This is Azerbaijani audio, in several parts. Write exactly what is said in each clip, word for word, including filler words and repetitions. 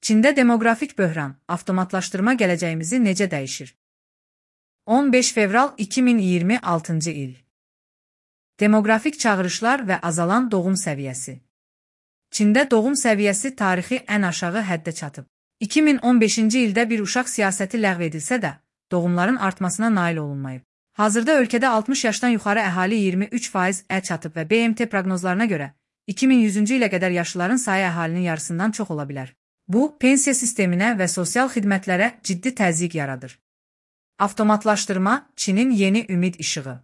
Çində demoqrafik böhran, avtomatlaşdırma gələcəyimizi necə dəyişir? on beş fevral iki min iyirmi altıncı il. Demoqrafik çağırışlar və azalan doğum səviyyəsi. Çində doğum səviyyəsi tarixi ən aşağı həddə çatıb. iki min on beşinci ildə bir uşaq siyasəti ləğv edilsə də, doğumların artmasına nail olunmayıb. Hazırda ölkədə altmış yaşdan yuxarı əhali iyirmi üç faizə çatıb və B M T proqnozlarına görə iki min yüzüncü ilə qədər yaşlıların sayı əhalinin yarısından çox ola bilər. Bu, pensiya sisteminə və sosial xidmətlərə ciddi təzyiq yaradır. Avtomatlaşdırma Çinin yeni ümid işığı.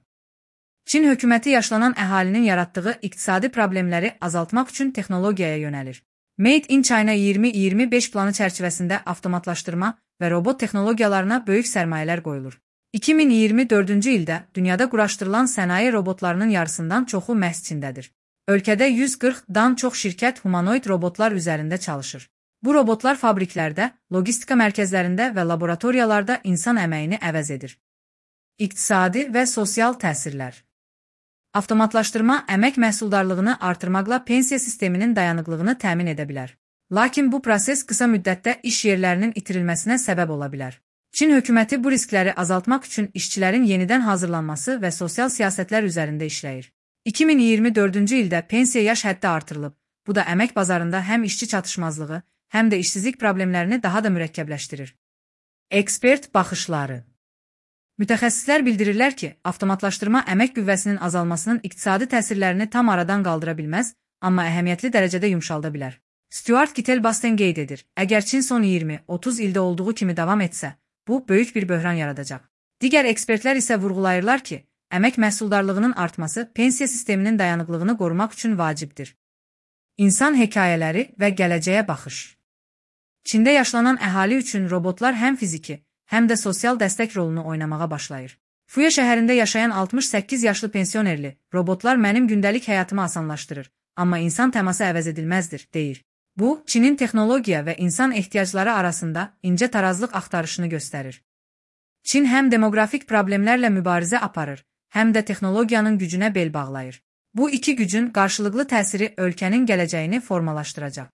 Çin hökuməti yaşlanan əhalinin yaratdığı iqtisadi problemləri azaltmaq üçün texnologiyaya yönəlir. Made in China iyirmi iyirmi beş planı çərçivəsində avtomatlaşdırma və robot texnologiyalarına böyük sərmayələr qoyulur. iki min iyirmi dördüncü ildə dünyada quraşdırılan sənaye robotlarının yarısından çoxu məhz Çindədir. Ölkədə yüz qırxdan çox şirkət humanoid robotlar üzərində çalışır. Bu robotlar fabriklərdə, logistika mərkəzlərində və laboratoriyalarda insan əməyini əvəz edir. İqtisadi və sosial təsirlər. Avtomatlaşdırma əmək məhsuldarlığını artırmaqla pensiya sisteminin dayanıqlığını təmin edə bilər. Lakin bu proses qısa müddətdə iş yerlərinin itirilməsinə səbəb ola bilər. Çin hökuməti bu riskləri azaltmaq üçün işçilərin yenidən hazırlanması və sosial siyasətlər üzərində işləyir. iki min iyirmi dördüncü ildə pensiya yaş həddi artırılıb. Bu da əmək bazarında həm işçi çatışmazlığı, həm də işsizlik problemlərini daha da mürəkkəbləşdirir. Ekspert baxışları. Mütəxəssislər bildirirlər ki, avtomatlaşdırma əmək qüvvəsinin azalmasının iqtisadi təsirlərini tam aradan qaldıra bilməz, amma əhəmiyyətli dərəcədə yumşalda bilər. Stuart Kittel-Basten qeyd edir, əgər Çin son iyirmi otuz ildə olduğu kimi davam etsə, bu böyük bir böhran yaradacaq. Digər ekspertlər isə vurğulayırlar ki, əmək məhsuldarlığının artması pensiya sisteminin dayanıqlığını qorumaq üçün vacibdir. İnsan hekayələri və gələcəyə baxış. Çində yaşlanan əhali üçün robotlar həm fiziki, həm də sosial dəstək rolunu oynamağa başlayır. Fuya şəhərində yaşayan altmış səkkiz yaşlı pensionerli, robotlar mənim gündəlik həyatımı asanlaşdırır, amma insan təması əvəz edilməzdir, deyir. Bu, Çinin texnologiya və insan ehtiyacları arasında incə tarazlıq axtarışını göstərir. Çin həm demoqrafik problemlərlə mübarizə aparır, həm də texnologiyanın gücünə bel bağlayır. Bu iki gücün qarşılıqlı təsiri ölkənin gələcəyini formalaşdıracaq.